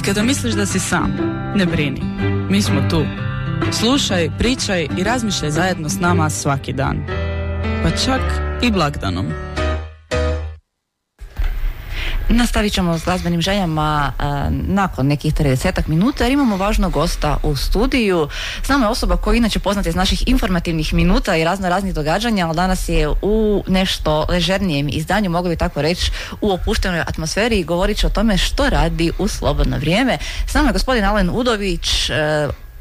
kada misliš da si sam, ne brini. Mi smo tu. Slušaj, pričaj i razmišljaj zajedno s nama svaki dan. Pa čak i blagdanom. Nastavit ćemo s glazbenim željama nakon nekih 30 minuta jer imamo važnog gosta u studiju. S nama je osoba koja inače poznata iz naših informativnih minuta i raznih događanja, ali danas je u nešto ležernijem izdanju, mogli bi tako reći, u opuštenoj atmosferi i govorit će o tome što radi u slobodno vrijeme. S nama je gospodin Alen Udović,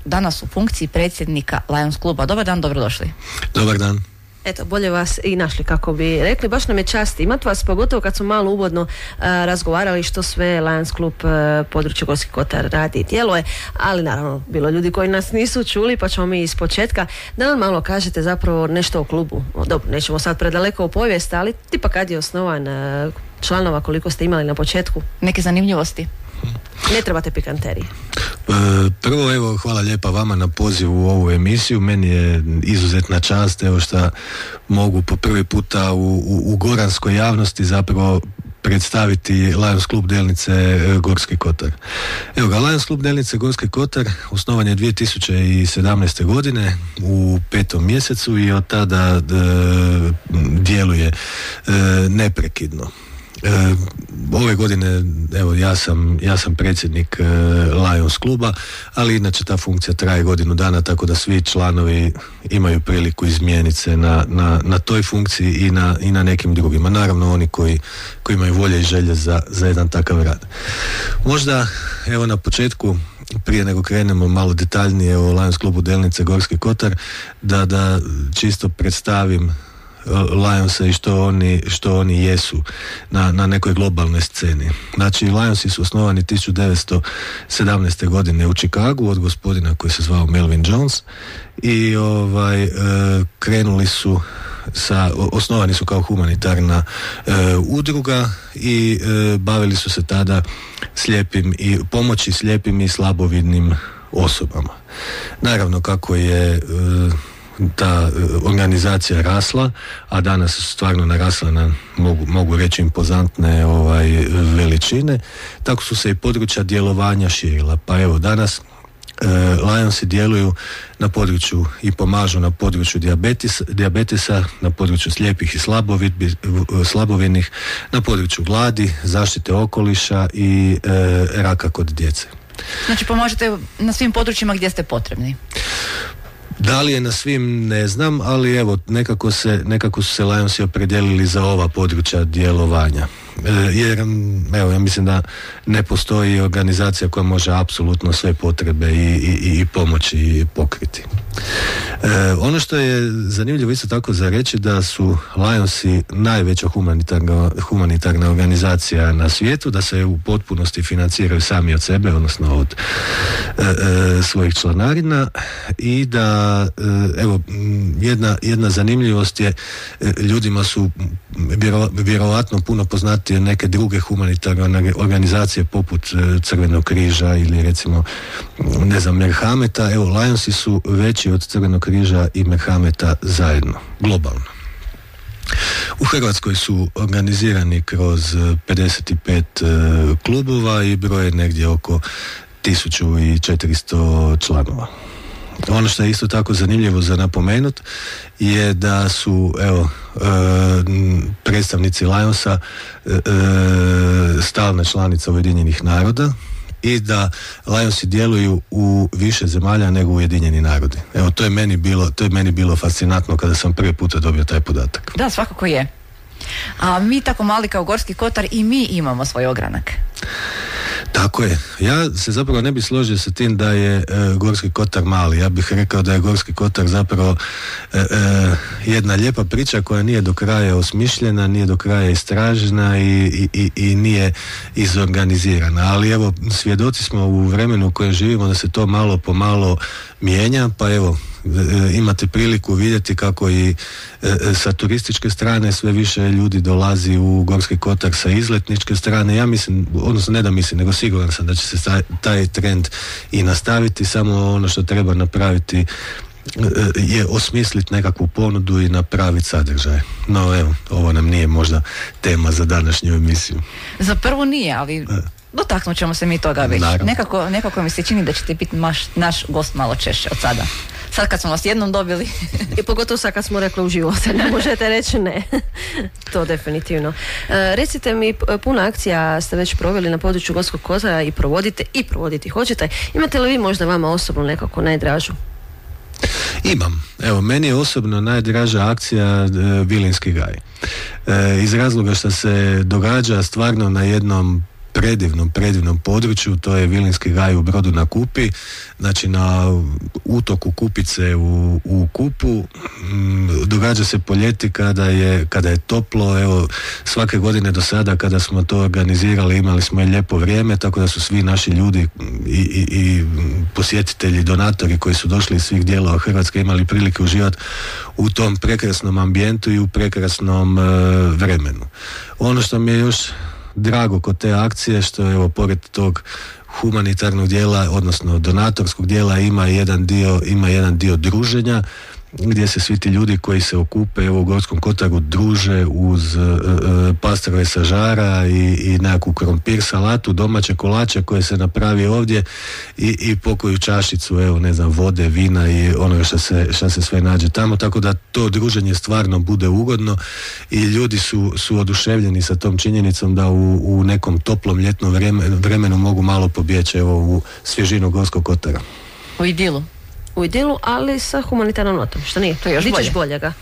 danas u funkciji predsjednika Lions kluba. Dobar dan, dobrodošli. Dobar dan. Eto, bolje vas i našli, kako bi rekli. Baš nam je čast imati vas, pogotovo kad smo malo uvodno razgovarali što sve Lions klub područje Gorski kotar radi i djeluje, ali naravno bilo ljudi koji nas nisu čuli, pa ćemo mi iz početka da nam malo kažete zapravo nešto o klubu. Dobro, nećemo sad predaleko u povijest, ali tipa kad je osnovan, članova koliko ste imali na početku. Neke zanimljivosti. Ne trebate pikanterije. Prvo, evo, hvala lijepa vama na pozivu u ovu emisiju. Meni je izuzetna čast, evo, što mogu po prvi puta u goranskoj javnosti zapravo predstaviti Lions klub Delnice Gorski kotar. Evo ga, Lions klub Delnice Gorski kotar osnovan je 2017. godine u 5. mjesecu i od tada djeluje neprekidno. Ove godine, evo, ja sam predsjednik Lions kluba, ali inače ta funkcija traje godinu dana, tako da svi članovi imaju priliku izmijeniti se na toj funkciji i na nekim drugima. Naravno oni koji imaju volje i želje za jedan takav rad. Možda, evo, na početku, prije nego krenemo malo detaljnije o Lions klubu Delnice Gorski kotar, da čisto predstavim Lionsa i što oni jesu na nekoj globalnoj sceni. Znači, Lionsi su osnovani 1917. godine u Chicagu od gospodina koji se zvao Melvin Jones i krenuli su osnovani su kao humanitarna udruga i bavili su se tada pomoći slijepim i slabovidnim osobama. Naravno, kako je ta organizacija rasla, a danas stvarno narasla na, mogu reći, impozantne veličine, tako su se i područja djelovanja širila. Pa evo, danas Lionsi djeluju na području i pomažu na području dijabetesa, na području slijepih i slabovidnih, na području gladi, zaštite okoliša i raka kod djece. Znači, pomažete na svim područjima gdje ste potrebni? Da li je na svim, ne znam, ali evo, nekako su se Lionsi opredijelili za ova područja djelovanja. Jer, evo, ja mislim da ne postoji organizacija koja može apsolutno sve potrebe i pomoći pokriti. Ono što je zanimljivo isto tako za reći, da su Lionsi najveća humanitarna organizacija na svijetu, da se u potpunosti financiraju sami od sebe, odnosno od svojih članarina, i da, evo, jedna zanimljivost je, ljudima su vjerojatno puno poznatije neke druge humanitarne organizacije poput Crvenog križa ili recimo, ne znam, Merhameta. Evo, Lionsi su veći od Crvenog križa i Merhameta zajedno, globalno. U Hrvatskoj su organizirani kroz 55 klubova i broje negdje oko 1400 članova. Ono što je isto tako zanimljivo za napomenut je da su, evo, predstavnici Lionsa stalna članica Ujedinjenih naroda i da Lionsi djeluju u više zemalja nego Ujedinjeni narodi. Evo, to je meni bilo fascinantno kada sam prvi puta dobio taj podatak. Da, svakako je. A mi tako mali kao Gorski kotar i mi imamo svoj ogranak. Tako je. Ja se zapravo ne bih složio sa tim da je Gorski kotar mali. Ja bih rekao da je Gorski kotar zapravo jedna lijepa priča koja nije do kraja osmišljena, nije do kraja istražena i nije izorganizirana. Ali evo, svjedoci smo u vremenu u kojem živimo da se to malo po malo mijenja, pa evo, imate priliku vidjeti kako i sa turističke strane sve više ljudi dolazi u Gorski kotar sa izletničke strane. Ja mislim, odnosno ne da mislim, nego siguran sam da će se taj trend i nastaviti, samo ono što treba napraviti je osmisliti nekakvu ponudu i napraviti sadržaj. No evo, ovo nam nije možda tema za današnju emisiju. Za prvu nije, ali dotaknut ćemo se mi toga već. Nekako mi se čini da ćete biti naš gost malo češće od sada. Sad kad smo vas jednom dobili. I pogotovo sad kad smo rekli u životu, ne možete reći ne. To definitivno. Recite mi, puno akcija ste već proveli na području Gorskog kotara i provoditi hoćete. Imate li vi možda vama osobno nekako najdražu? Imam. Evo, meni je osobno najdraža akcija Vilinski gaj. Iz razloga što se događa stvarno na jednom predivnom području, to je Vilinski gaj u Brodu na Kupi, znači na utoku Kupice u Kupu. Događa se po ljeti kada je toplo. Evo, svake godine do sada kada smo to organizirali imali smo i lijepo vrijeme, tako da su svi naši ljudi i posjetitelji, donatori koji su došli iz svih dijelova Hrvatske imali prilike uživati u tom prekrasnom ambijentu i u prekrasnom vremenu. Ono što mi je još drago kod te akcije, što evo pored tog humanitarnog dijela, odnosno donatorskog dijela, ima jedan dio druženja, gdje se svi ti ljudi koji se okupe evo u Gorskom kotaru druže uz pastrve sa žara i nekakvu krompir salatu, domaće kolače koje se napravi ovdje i pokoju čašicu, evo ne znam, vode, vina i onoga što se sve nađe tamo, tako da to druženje stvarno bude ugodno i ljudi su oduševljeni sa tom činjenicom da u nekom toplom ljetnom vremenu mogu malo pobjeći evo u svježinu Gorskog kotara. U idilu, ali sa humanitarnom notom, što nije, to je još boljega.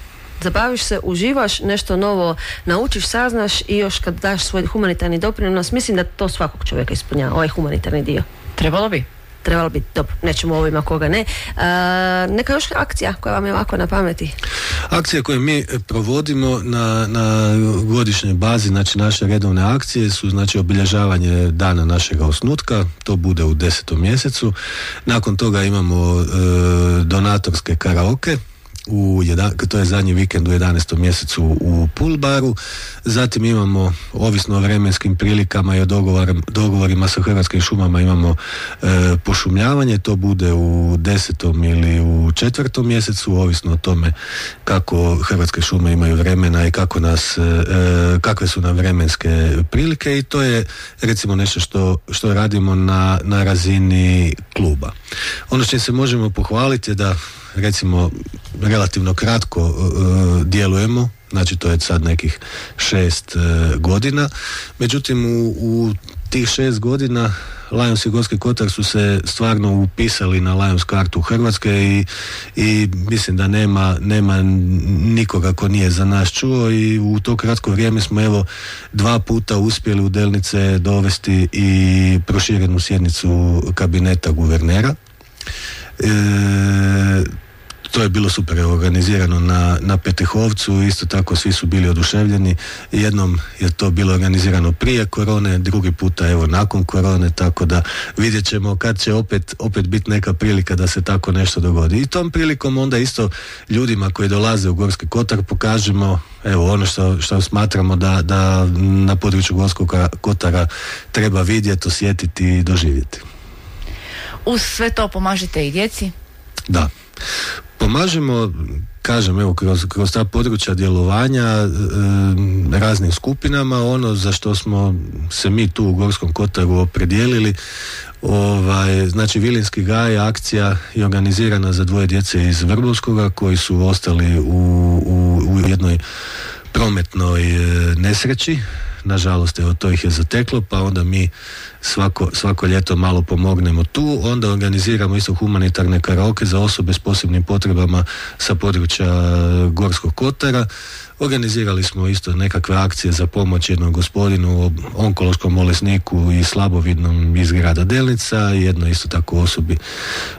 Zabaviš se, uživaš, nešto novo naučiš, saznaš i još kad daš svoj humanitarni doprinos, mislim da to svakog čovjeka ispunjava, ovaj humanitarni dio. Trebalo bi, dobro, nećemo ovima koga ne. Neka još akcija koja vam je ovako na pameti? Akcije koje mi provodimo na godišnjoj bazi, znači naše redovne akcije su znači obilježavanje dana našega osnutka, to bude u 10. mjesecu. Nakon toga imamo donatorske karaoke, to je zadnji vikend u 11. mjesecu u Pool baru. Zatim imamo, ovisno o vremenskim prilikama i o dogovorima sa Hrvatskim šumama, imamo pošumljavanje, to bude u 10. ili u 4. mjesecu, ovisno o tome kako Hrvatske šume imaju vremena i kakve su nam vremenske prilike, i to je recimo nešto što radimo na razini kluba. Ono što se možemo pohvaliti je da recimo relativno kratko djelujemo, znači to je sad nekih 6 godina, međutim u tih 6 godina Lions i Gorski kotar su se stvarno upisali na Lions kartu Hrvatske i mislim da nema nikoga ko nije za nas čuo, i u to kratko vrijeme smo evo 2 puta uspjeli u Delnice dovesti i proširenu sjednicu kabineta guvernera. To je bilo super organizirano na Petehovcu, isto tako svi su bili oduševljeni. Jednom je to bilo organizirano prije korone, drugi puta evo nakon korone, tako da vidjet ćemo kad će opet biti neka prilika da se tako nešto dogodi. I tom prilikom onda isto ljudima koji dolaze u Gorski kotar pokažemo evo ono što smatramo da na području Gorskog kotara treba vidjeti, osjetiti i doživjeti. Uz sve to pomažete i djeci? Da. Pomažemo, kažem, evo, kroz ta područja djelovanja raznim skupinama. Ono za što smo se mi tu u Gorskom kotaru opredijelili, znači Vilinski gaj akcija je organizirana za 2 djece iz Vrbovskoga koji su ostali u jednoj prometnoj nesreći. Nažalost, evo, to ih je zateklo, pa onda mi svako ljeto malo pomognemo tu. Onda organiziramo isto humanitarne karaoke za osobe s posebnim potrebama sa područja Gorskog kotara. Organizirali smo isto nekakve akcije za pomoć jednom gospodinu, onkološkom bolesniku i slabovidnom iz grada Delnica, jedno isto tako osobi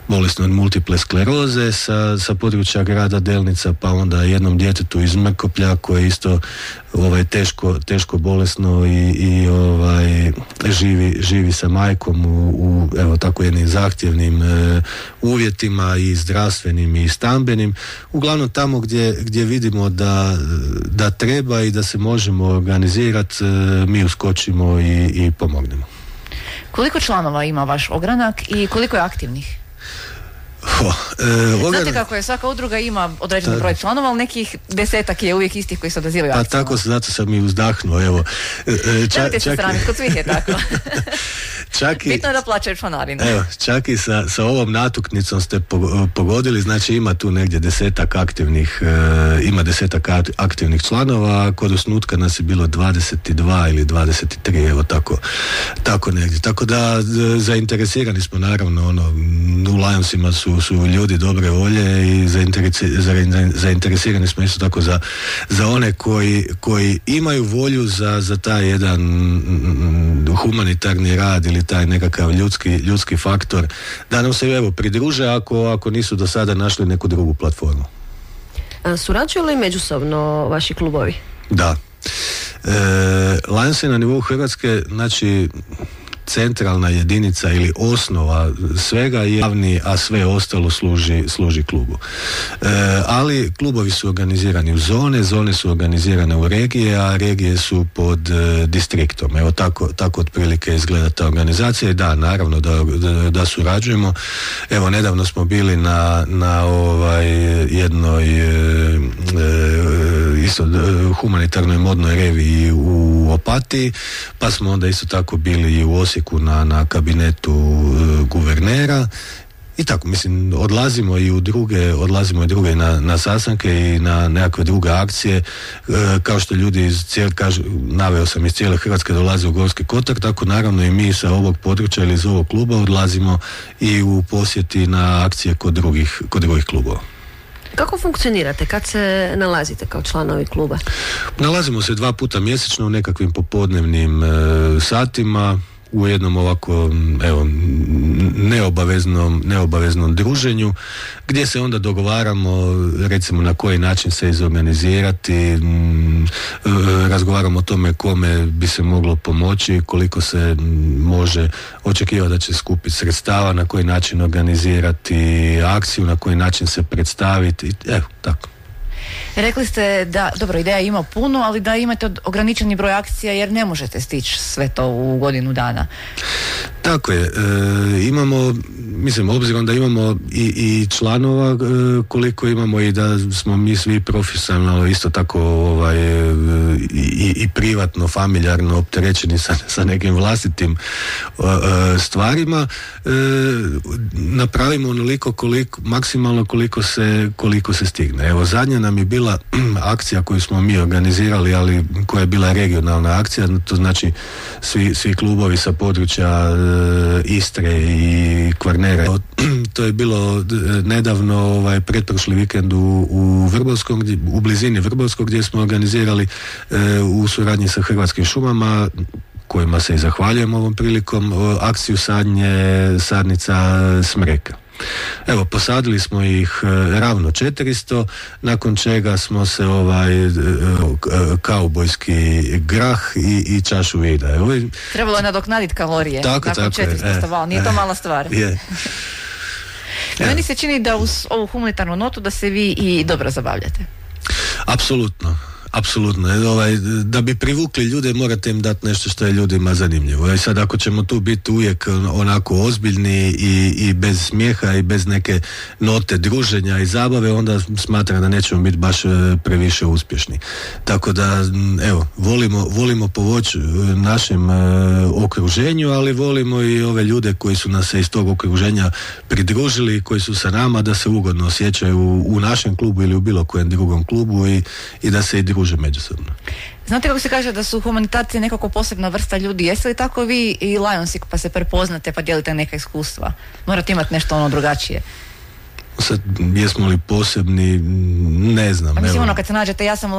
bolesnoj od multiple skleroze sa područja grada Delnica, pa onda jednom djetetu iz Mrkoplja koje je isto teško bolesno i živi sa majkom u evo tako jednim zahtjevnim uvjetima i zdravstvenim i stambenim. Uglavnom tamo gdje vidimo da treba i da se možemo organizirati, mi uskočimo i pomognemo. Koliko članova ima vaš ogranak i koliko je aktivnih? Znate kako je, svaka udruga ima određeni broj članova, ali nekih 10 je uvijek istih koji se odazivaju akcijama. Pa tako, zato sam i uzdahnuo, evo. Nemojte se sramiti, kod svih je tako. Bitno je da plaćaju članarinu. Evo, čak i sa ovom natuknicom ste pogodili, znači ima tu negdje 10 aktivnih članova, kod osnutka nas je bilo 22 ili 23, evo tako negdje. Tako da zainteresirani smo naravno, u Lionsima su ljudi dobre volje i zainteresirani smo isto tako za one koji imaju volju za taj jedan humanitarni rad ili taj nekakav ljudski faktor, da nam se evo pridruže ako nisu do sada našli neku drugu platformu. Surađuju li međusobno vaši klubovi? Da. Lions je na nivou Hrvatske, znači centralna jedinica ili osnova svega je javni, a sve ostalo služi klubu. Ali klubovi su organizirani u zone su organizirane u regije, a regije su pod distriktom. Evo tako otprilike izgleda ta organizacija i da, naravno da surađujemo. Evo, nedavno smo bili na jednoj isto humanitarnoj modnoj reviji u Opatiji, pa smo onda isto tako bili i u Osijeku na kabinetu guvernera i tako, mislim, odlazimo i druge na sastanke i na nekakve druge akcije, kao što ljudi naveo sam iz cijele Hrvatske dolaze u Gorski kotar, tako naravno i mi sa ovog područja ili iz ovog kluba odlazimo i u posjeti na akcije kod drugih klubova. Kako funkcionirate? Kad se nalazite kao članovi kluba? Nalazimo se 2 puta mjesečno u nekakvim popodnevnim satima, u jednom ovako neobaveznom druženju, gdje se onda dogovaramo recimo na koji način se izorganizirati, razgovaramo o tome kome bi se moglo pomoći, koliko se može očekivati da će skupiti sredstava, na koji način organizirati akciju, na koji način se predstaviti, evo tako. Rekli ste da, dobro, ideja ima puno, ali da imate ograničeni broj akcija jer ne možete stići sve to u godinu dana. Tako je, imamo, mislim, obzirom da imamo i članova koliko imamo i da smo mi svi profesionalno isto tako i privatno, familjarno opterećeni sa nekim vlastitim stvarima, napravimo onoliko maksimalno koliko se stigne. Evo, zadnja nam je bila akcija koju smo mi organizirali, ali koja je bila regionalna akcija, to znači svi klubovi sa područja Istre i Kvarnera. To je bilo nedavno, pretprošli vikend u Vrbovskom, u blizini Vrbovskog, gdje smo organizirali u suradnji sa Hrvatskim šumama, kojima se i zahvaljujem ovom prilikom, akciju sadnica smreka. Evo, posadili smo ih ravno 400, nakon čega smo se kaubojski grah i čašu vida. Trebalo je nadoknaditi kalorije nakon 400 stavala, nije to mala stvar. Je. Meni se čini da uz ovu humanitarnu notu da se vi i dobro zabavljate. Apsolutno. Da bi privukli ljude morate im dati nešto što je ljudima zanimljivo. I sad ako ćemo tu biti uvijek onako ozbiljni i bez smijeha i bez neke note druženja i zabave, onda smatram da nećemo biti baš previše uspješni. Tako da, evo, volimo pomoći našem okruženju, ali volimo i ove ljude koji su nas se iz tog okruženja pridružili, koji su sa nama, da se ugodno osjećaju u našem klubu ili u bilo kojem drugom klubu i da se i druže međusobno. Znate kako se kaže da su humanitarci nekako posebna vrsta ljudi? Jeste li tako vi i Lionsi pa se prepoznate pa dijelite neka iskustva? Morate imati nešto drugačije. Sad, jesmo li posebni, ne znam. Mislim, kad se nađete ja sam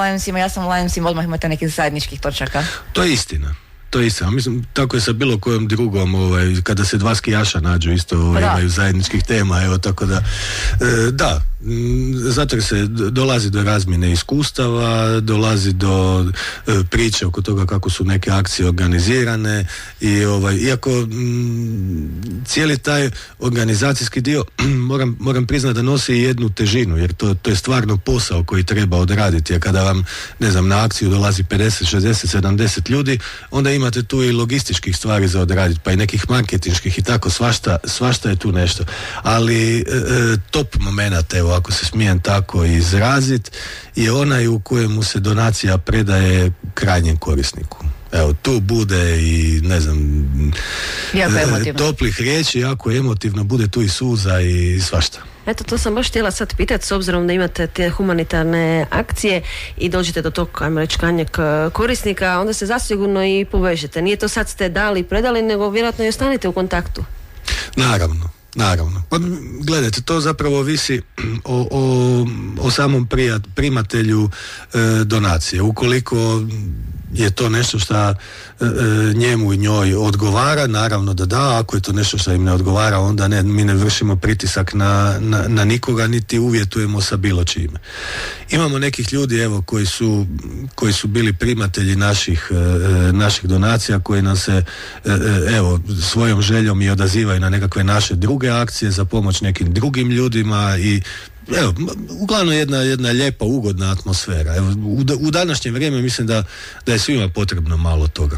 Lionsima, odmah imate nekih zajedničkih točaka. To je istina. Mislim, tako je sa bilo kojom drugom, kada se 2 skijaša nađu isto imaju zajedničkih tema, evo, tako da, da, Zato jer se dolazi do razmjene iskustava, dolazi do priče oko toga kako su neke akcije organizirane i iako cijeli taj organizacijski dio moram priznati da nosi jednu težinu, jer to je stvarno posao koji treba odraditi, jer kada vam, ne znam, na akciju dolazi 50, 60, 70 ljudi, onda imate tu i logističkih stvari za odraditi, pa i nekih marketinških i tako, svašta je tu nešto. Ali top moment, evo, ako se smijem tako izraziti, je onaj u kojemu se donacija predaje krajnjem korisniku. Evo, tu bude i, ne znam, toplih riječi, jako emotivno, bude tu i suza i svašta. Eto, to sam baš htjela sad pitati, s obzirom da imate te humanitarne akcije i dođete do tog, ajmo reći, krajnjeg korisnika, onda se zasigurno i povežete. Nije to sad ste dali i predali, nego vjerojatno i ostanite u kontaktu. Naravno. Pa gledajte, to zapravo ovisi o samom primatelju donacije. Ukoliko je to nešto što njemu i njoj odgovara, naravno da, ako je to nešto što im ne odgovara, onda mi ne vršimo pritisak na nikoga, niti uvjetujemo sa bilo čime. Imamo nekih ljudi, evo, koji su bili primatelji naših donacija, koji nam se evo, svojom željom i odazivaju na nekakve naše druge akcije za pomoć nekim drugim ljudima i evo, uglavnom jedna lijepa, ugodna atmosfera. Evo, u današnje vrijeme mislim da je svima potrebno malo toga.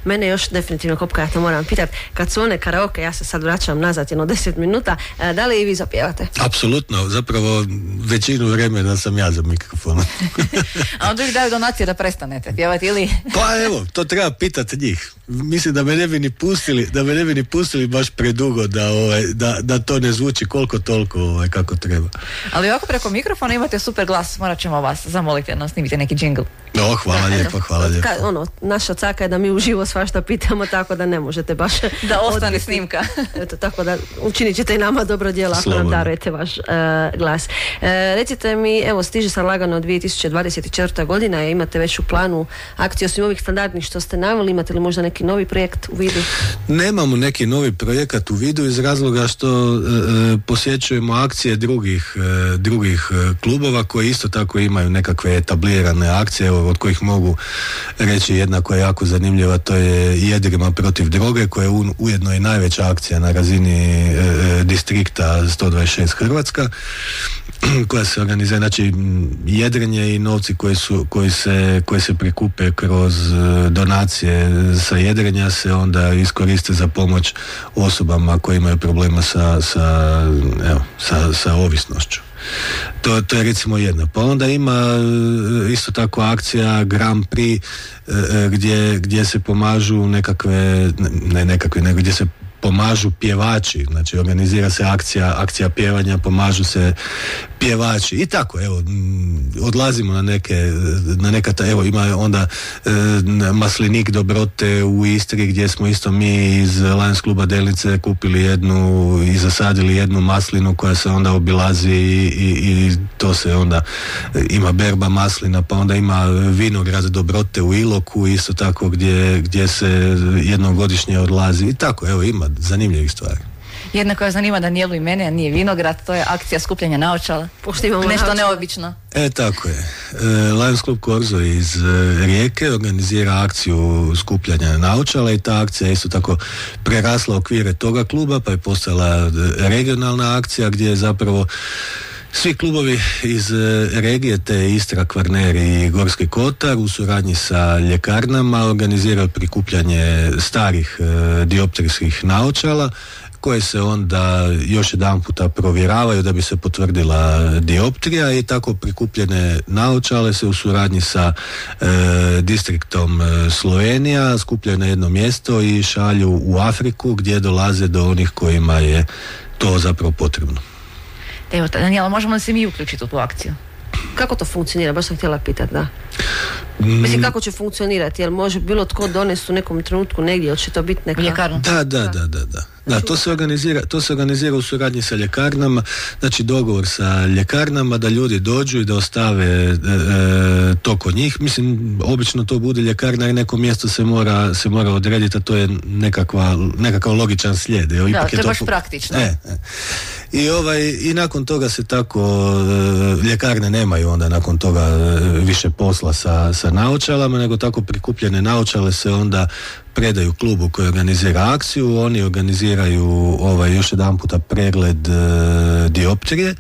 Mene još definitivno, Kopka, ja to moram pitati, kad su one karaoke, ja se sad vraćam nazad 10 minuta, da li i vi zapjevate? Apsolutno, zapravo većinu vremena sam ja za mikrofonom. A onda ih daju donacije da prestanete pjevati ili? Pa evo, to treba pitati njih. Mislim da me ne bi ni pustili baš predugo da to ne zvuči koliko toliko kako treba. Ali ovako preko mikrofona imate super glas, morat ćemo vas zamoliti da nam snimite neki džingl. Hvala lijepo. Naša caka je da mi uživo svašta pitamo, tako da ne možete baš da ostane snimka. Eto, tako da učinit ćete i nama dobro djelo ako nam darujete vaš glas. Recite mi, evo, stiže sad lagano 2024. godina, imate već u planu akcije osim ovih standardnih što ste naveli, imate li možda neki novi projekt u vidu? Nemamo neki novi projekat u vidu iz razloga što posjećujemo akcije drugih klubova koji isto tako imaju nekakve etablirane akcije, od kojih mogu reći jedna koja je jako zanimljiva, to je Jedrima protiv droge, koja je ujedno i najveća akcija na razini distrikta 126 Hrvatska, koja se organizira, znači jedrenje i novci koji se prikupe kroz donacije sa jedrenja se onda iskoriste za pomoć osobama koje imaju problema sa ovisnošću. To je recimo jedna. Pa onda ima isto tako akcija Grand Prix gdje se pomažu gdje se pomažu pjevači, znači organizira se akcija pjevanja, pomažu se pjevači i tako, evo, odlazimo na neka evo, ima onda maslinik dobrote u Istri gdje smo isto mi iz Lions kluba Delnice kupili i zasadili jednu maslinu koja se onda obilazi i to se onda ima berba maslina, pa onda ima vinograd dobrote u Iloku isto tako gdje se jednom godišnje odlazi i tako, evo, ima zanimljivih stvari. Jedna koja zanima Danijelu i mene, a nije vinograd, to je akcija skupljanja naočala. Nešto neobično. Tako je. Lions Club Korzo iz Rijeke organizira akciju skupljanja naočala i ta akcija je isto tako prerasla okvire toga kluba, pa je postala regionalna akcija gdje je zapravo svi klubovi iz regije, te Istra, Kvarner i Gorski Kotar, u suradnji sa ljekarnama organiziraju prikupljanje starih dioptrijskih naočala koje se onda još jedan puta provjeravaju da bi se potvrdila dioptrija i tako prikupljene naočale se u suradnji sa distriktom Slovenija skupljaju na jedno mjesto i šalju u Afriku gdje dolaze do onih kojima je to zapravo potrebno. Evo, Danijela, možemo li se mi uključiti u tu akciju? Kako to funkcionira? Baš sam htjela pitati, da. Mislim, kako će funkcionirati? Jel može bilo tko donesti u nekom trenutku negdje, hoće to biti neka... Ljekarnu? Da. Da, to se organizira u suradnji sa ljekarnama, znači dogovor sa ljekarnama da ljudi dođu i da ostave to kod njih. Mislim, obično to bude ljekarna jer neko mjesto se mora odrediti, a to je nekakav logičan slijed. Da, to je baš praktično. I nakon toga se tako ljekarne nemaju onda nakon toga više posla sa naočalama, nego tako prikupljene naočale se onda predaju klubu koji organizira akciju, oni organiziraju još jedan puta pregled dioptrije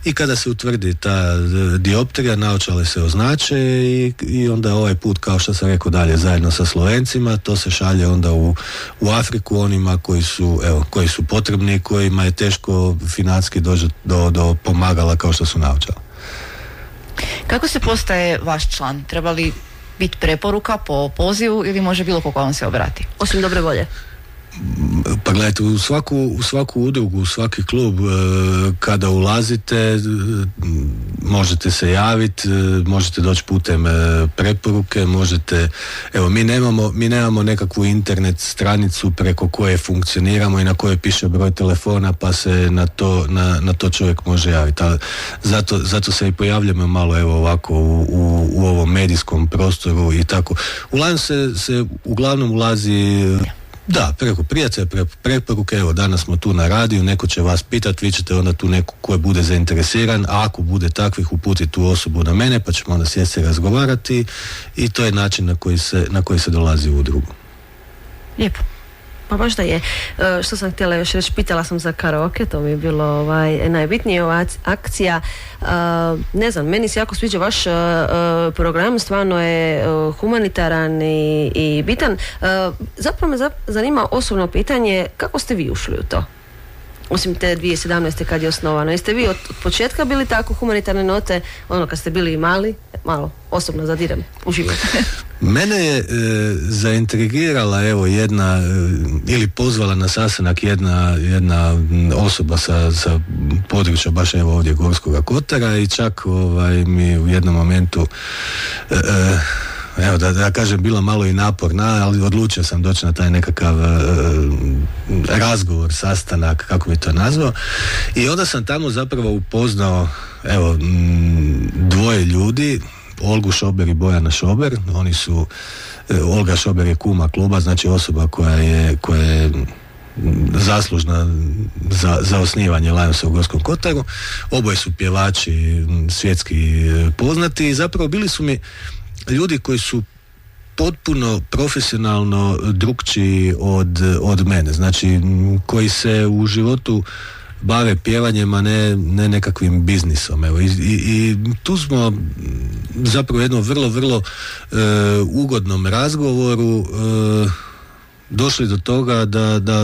i kada se utvrdi ta dioptrija, naočale se označe i onda ovaj put, kao što sam rekao dalje, zajedno sa Slovencima, to se šalje onda u Afriku onima koji su potrebni, kojima je teško financijski doći do pomagala kao što su naočala. Kako se postaje vaš član? Treba li biti preporuka po pozivu ili može bilo koga vam se obrati? Osim dobre volje. Pa gledajte, u svaku udrugu, u svaki klub kada ulazite možete se javiti, možete doći putem preporuke, možete, evo mi nemamo nekakvu internet stranicu preko koje funkcioniramo i na kojoj piše broj telefona pa se na to čovjek može javiti. Zato se i pojavljamo malo evo ovako u ovom medijskom prostoru i tako. Uglavnom ulazi da, preko prijatelja, preko preporuke, evo danas smo tu na radiju, neko će vas pitati, vi ćete onda tu neko ko bude zainteresiran, a ako bude takvih uputiti tu osobu na mene, pa ćemo onda sjesti razgovarati i to je način na koji se dolazi u udrugu. Lijepo. Pa baš da je. Što sam htjela još reći, pitala sam za karaoke, to mi je bilo najbitnije, ova akcija. Ne znam, meni se jako sviđa vaš program, stvarno je humanitaran i bitan. Zapravo me zanima osobno pitanje, kako ste vi ušli u to? Osim te 2017. kad je osnovano. Jeste vi od početka bili tako humanitarne note, kad ste bili mali, malo osobno zadirem u život? Mene je zaintrigirala jedna ili pozvala na sastanak jedna osoba sa područja baš ovdje Gorskoga Kotara i čak mi u jednom momentu da kažem bila malo i naporna, ali odlučio sam doći na taj nekakav razgovor, sastanak, kako bi to nazvao, i onda sam tamo zapravo upoznao dvoje ljudi, Olgu Šober i Bojana Šober. Oni su, Olga Šober je kuma kluba, znači osoba koja je zaslužna za osnivanje Lionsa u Gorskom Kotaru. Oboje su pjevači svjetski poznati i zapravo bili su mi ljudi koji su potpuno profesionalno drukčiji od mene, znači koji se u životu bave pjevanjem, a ne nekakvim biznisom. I tu smo zapravo jednom vrlo ugodnom razgovoru došli do toga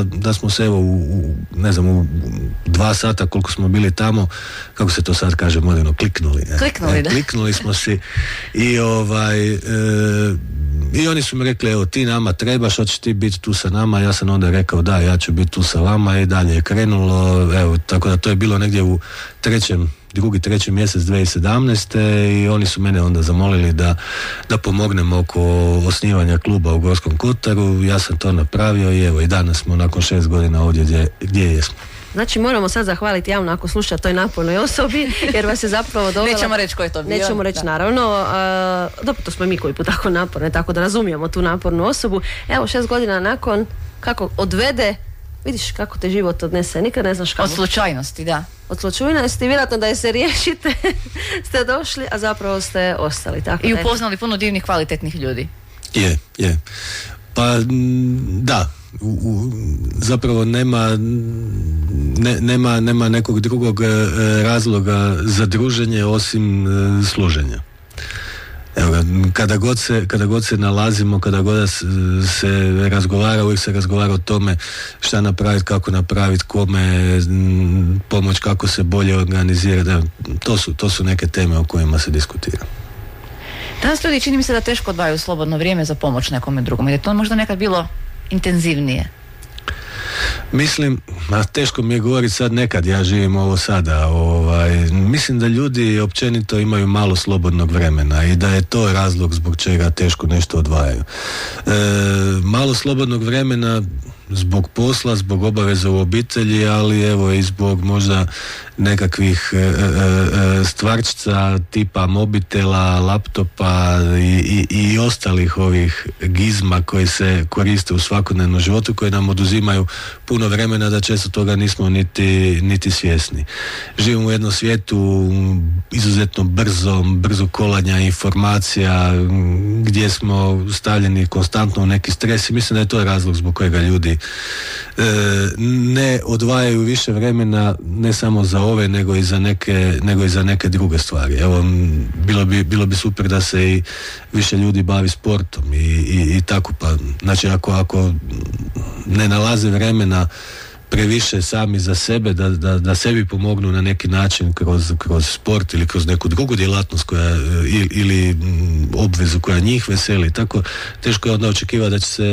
da smo se u 2 sata koliko smo bili tamo, kako se to sad kaže moderno, kliknuli. Kliknuli smo si i oni su mi rekli, ti nama trebaš, hoćeš ti biti tu sa nama. Ja sam onda rekao da, ja ću biti tu sa vama i dalje je krenulo, tako da to je bilo negdje u treći mjesec 2017. i oni su mene onda zamolili da pomognem oko osnivanja kluba u Gorskom Kotaru. Ja sam to napravio i danas smo nakon 6 godina ovdje gdje jesmo. Znači moramo sad zahvaliti javno ako sluša toj napornoj osobi, jer vas je zapravo dovela... Nećemo reći ko je to bio. Nećemo reći, naravno. Dobro, to smo mi koji put tako naporne, tako da razumijemo tu napornu osobu. Evo, 6 godina nakon, kako odvede, vidiš kako te život odnese, nikad ne znaš kako. Od slučajnosti, da. Od slučajnosti, vjerojatno da je se riješite, ste došli, a zapravo ste ostali. Tako i upoznali puno divnih, kvalitetnih ljudi. Je. Pa, da. Zapravo nema nekog drugog razloga za druženje osim služenja. Evo, kada god se nalazimo, kada god se razgovara, uvijek se razgovara o tome šta napraviti, kako napraviti, kome pomoć, kako se bolje organizirati. To su neke teme o kojima se diskutira. Danas ljudi čini mi se da teško odvajaju slobodno vrijeme za pomoć nekome drugom. Je to možda nekad bilo intenzivnije? Mislim, teško mi je govoriti sad, nekad ja živim ovo sada, mislim da ljudi općenito imaju malo slobodnog vremena i da je to razlog zbog čega teško nešto odvajaju. Malo slobodnog vremena zbog posla, zbog obaveza u obitelji, ali evo i zbog možda nekakvih stvarčica tipa mobitela, laptopa i ostalih ovih gizma koji se koriste u svakodnevnom životu, koji nam oduzimaju puno vremena da često toga nismo niti svjesni. Živimo u jednom svijetu izuzetno brzo kolanja informacija, gdje smo stavljeni konstantno u neki stres i mislim da je to razlog zbog kojega ljudi ne odvajaju više vremena ne samo za ove nego i za neke druge stvari. Evo, bilo bi super da se i više ljudi bavi sportom i tako, pa znači ako ne nalaze vremena previše sami za sebe, da sebi pomognu na neki način kroz sport ili kroz neku drugu djelatnost koja, ili obvezu koja njih veseli, tako teško je onda očekivati da će se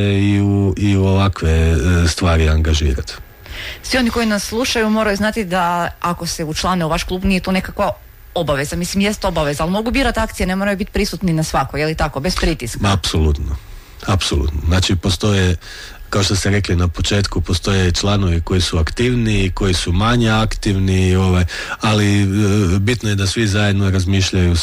i u ovakve stvari angažirati. Svi oni koji nas slušaju moraju znati da ako se učlane u vaš klub nije to nekakva obaveza, mislim jest obaveza, ali mogu birati akcije, ne moraju biti prisutni na svakoj, je li tako, bez pritiska? Apsolutno. Znači postoje, kao što ste rekli na početku, postoje članovi koji su aktivni, koji su manje aktivni, ali bitno je da svi zajedno razmišljaju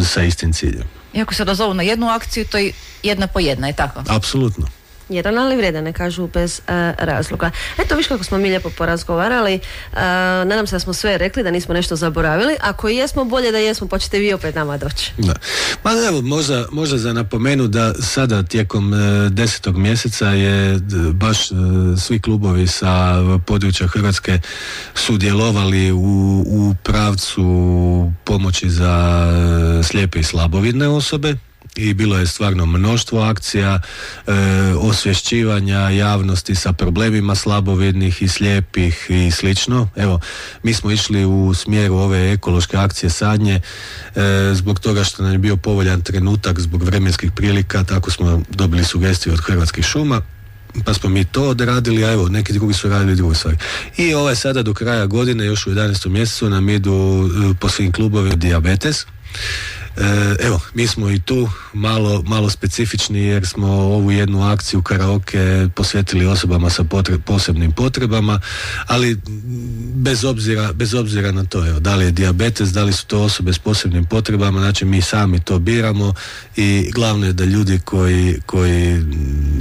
sa istim ciljem. Iako se dozovu na jednu akciju, to je jedna po jedna, je tako? Apsolutno. Jedan, ali vrijedan, ne kažu bez razloga. Eto, viš kako smo mi lijepo porazgovarali. Nadam se da smo sve rekli, da nismo nešto zaboravili. Ako jesmo, bolje da jesmo, pa ćete vi opet nama doći. Da. Ma evo, možda za napomenu da sada tijekom 10. mjeseca je baš svi klubovi sa područja Hrvatske sudjelovali u pravcu pomoći za slijepe i slabovidne osobe. I bilo je stvarno mnoštvo akcija, osvješćivanja javnosti sa problemima slabovidnih i slijepih i slično. Evo, mi smo išli u smjeru ove ekološke akcije sadnje zbog toga što nam je bio povoljan trenutak zbog vremenskih prilika, tako smo dobili sugestiju od Hrvatskih šuma, pa smo mi to odradili, a evo, neki drugi su radili druge stvari. I sada do kraja godine, još u 11. mjesecu, nam idu po svim klubovima dijabetes. Evo, mi smo i tu malo specifični jer smo ovu jednu akciju karaoke posvetili osobama sa posebnim potrebama, ali bez obzira na to, evo, da li je dijabetes, da li su to osobe s posebnim potrebama, znači mi sami to biramo i glavno je da ljudi koji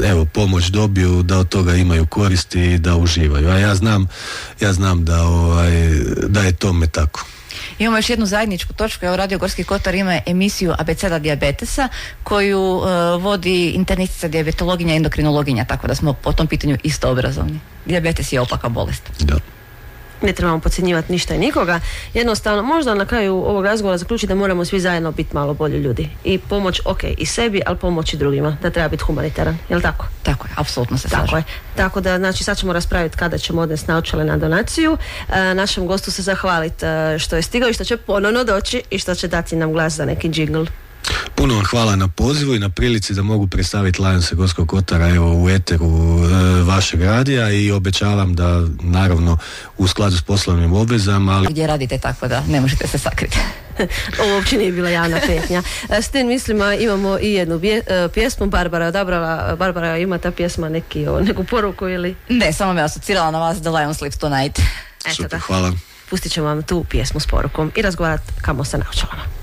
evo, pomoć dobiju, da od toga imaju koristi i da uživaju. A ja znam da je tome tako. Imamo još jednu zajedničku točku, evo Radio Gorski Kotar ima emisiju Abeceda dijabetesa koju vodi internistica, dijabetologinja, endokrinologinja, tako da smo po tom pitanju isto obrazovni. Dijabetes je opaka bolest. Da. Ne trebamo podcjenjivati ništa i nikoga. Jednostavno, možda na kraju ovog razgovora zaključiti da moramo svi zajedno biti malo bolji ljudi. I pomoć, i sebi, ali pomoć i drugima. Da treba biti humanitaran. Je li tako? Tako je, apsolutno se slažem. Tako da, znači, sad ćemo raspraviti kada ćemo odnesti naočale na donaciju. Našem gostu se zahvaliti što je stigao i što će ponovno doći i što će dati nam glas za neki džingl. Puno vam hvala na pozivu i na prilici da mogu predstaviti Lionse Gorskog Kotara u eteru vašeg radija i obećavam da naravno u skladu s poslovnim obvezama, ali gdje radite, tako da ne možete se sakriti. Ovo uopće nije bila javna petnja. S tim mislima imamo i jednu pjesmu. Barbara je odabrala. Barbara, ima ta pjesma neku poruku ili? Ne, samo me asocirala na vas, The Lion Sleeps Tonight. Super, hvala. Pustit ćemo vam tu pjesmu s porukom i razgovarati kamo sa naočalama.